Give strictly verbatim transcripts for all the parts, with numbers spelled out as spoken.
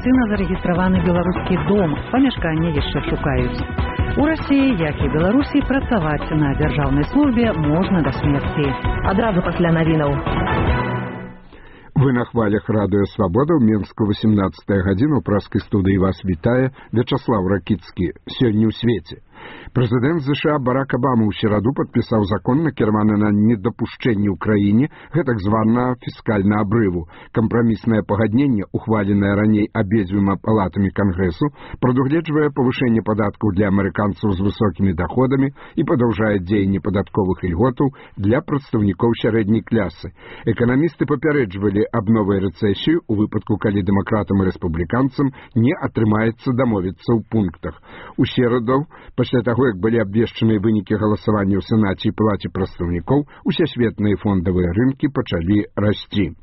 афіцыйна зарэгістраваны беларускі дом, памяшканне яшчэ шукаюць. У Расіі, як і Беларусі, працаваць на дзяржаўнай службе можна да смерці. Адразу пасля навінаў. Вы на хвалях радыё «Свабода» ў Мінску восемнадцатая гадзіна. У праскай студыі вас вітае Вячаслав Ракіцкі. Сёння ў свеце. Прэзідэнт ЗША Барак Абама ў сераду падпісаў закон, накіраваны на недапушчэнне ў краіне гэтак званага фіскальнага абрыву. Кампраміснае пагадненне, ухваленае раней абедзвюма палатамі Кангрэсу, прадугледжвае павышэнне падаткаў для амерыканцаў з высокімі даходамі і падаўжае дзеянне падатковых ільготаў для прадстаўнікоў сярэдняй клясы. Эканамісты папярэджвалі аб новай рэцэсіі ў выпадку, калі дэмакратам і рэспубліканцам не атрымаецца дамовіцца ў пунктах. У сераду, пасля таго, як былі абвешчаныя вынікі галасавання ў Сенаце і Палаце прадстаўнікоў, усесветныя фондавыя рынкі пачалі расці.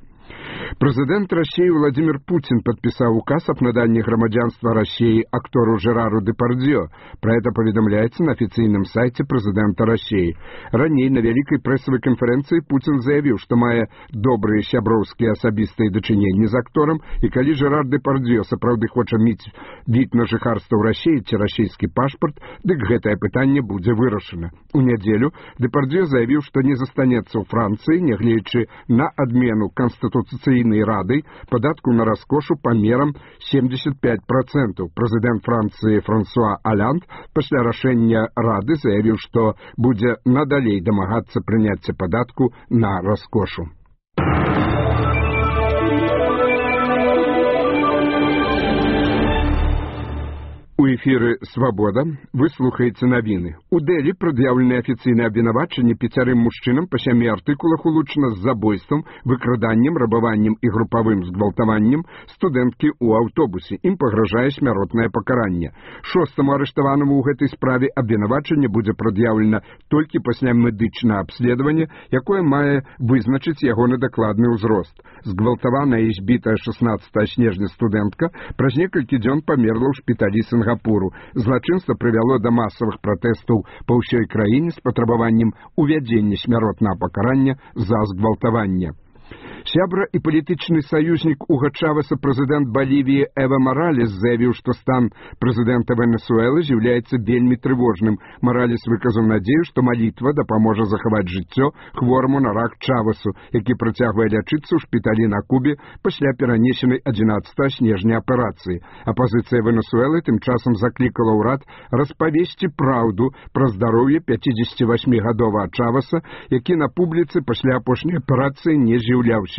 Прэзідэнт Расіі Владимир Путин подписал указ об надании громадянства России актору Жерару Депардье. Про это поведомляется на официальном сайте президента России. Ранее на великой прессовой конференции Путин заявил, что мае добрые сяброўские особистые дачыненні з актором, и калі Жерар Депардье сапраўды хоча мець від на жыхарства ў Расіі ці расійскі пашпарт, дык гэтае пытанне будзе вырашана. У нядзелю Депардье заявил, что не застанецца ў Францыі, нягледзячы на адмену Конституцыйнай Рады падатку на раскошу памерам семьдесят пять процентов. Прэзідэнт Францыі Франсуа Аланд пасля рашэння Рады заявіў, што будзе надалей дамагацца прыняцця падатку на раскошу. У эфіры «Свабода» вы слухаеце навіны. У Дэлі прад'яўлены афіцыйныя абвінавачанні пяцярым мужчынам па сямі артыкулах улучана з забойствам, выкраданнем, рабаваннем і групавым згвалтаваннем студэнткі ў аўтобусе. Ім пагражае смяротнае пакаранне. Шостаму арыштаванаму ў гэтай справе абвінавачанне будзе прад'яўлена толькі пасля медычнага абследавання, якое мае вызначыць ягоны дакладны ўзрост. Згвалтаваная і збітая шаснаццатага снежня студэнтка праз некалькі дзён памерла ў шпіталі Сінгапуру. Злачынства прывяло да масавых пратэстаў па ўсёй краіне з патрабаваннем увядзення смяротнага пакарання за згвалтаванне. Сябра і палітычны саюзнік Уга Чавеса прэзідэнт Балівіі Эва Маралес заявіў, што стан прэзідэнта Венесуэлы з'яўляецца вельмі трывожным. Маралес выказаў надзею, што малітва дапаможа захаваць жыццё хвораму на рак Чавесу, які працягвае лячыцца ў шпіталі на Кубе пасля перанесенай адзінаццатага снежня аперацыі. Апазіцыя Венесуэлы тым часам заклікала ўрад распавесці праўду пра здароўе пяцідзесяцівасьмігадовага Чавеса, які на публіцы пасля апошняй аперацыі не з'яўляўся.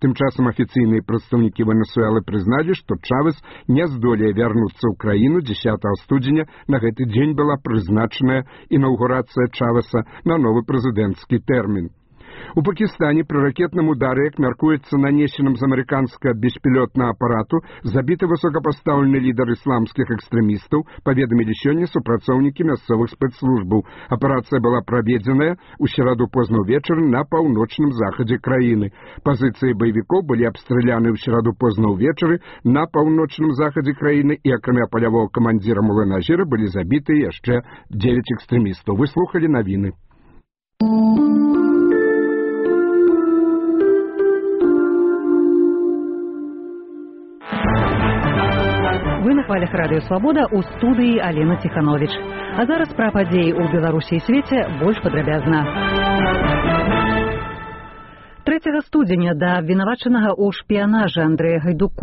Тым часам афіцыйныя прадстаўнікі Венесуэлы прызналі, што Чавес не здолее вярнуцца ў краіну. дзесятага студзеня на гэты дзень была прызначаная інаўгурацыя Чавеса на новы прэзідэнцкі тэрмін. У Пакістане пры ракетным удары, як мяркуецца, нанесеным з амерыканскага беспілотнага апарату, забіты высокапастаўлены лідар ісламскіх экстрэмістаў, паведамілі сёння супрацоўнікі мясцовых спецслужбаў. Аперацыя была праведзеная ў сераду позна ўвечары на паўночным захадзе краіны. Пазіцыі баевікоў былі абстраляны ў сераду позна ўвечары на паўночным захадзе краіны, і акрамя палявога камандзіра Мулэназіра былі забіты яшчэ дзевяць экстрэмістаў. Вы слухалі навіны. Вы на хвалях радыё «Свабода», у студыі Алена Ціхановіч. А зараз пра падзеі ў Беларусі і свеце больш падрабязна. трэцяга студзеня да абвінавачанага ў шпіянажы Андрэя Гайдуку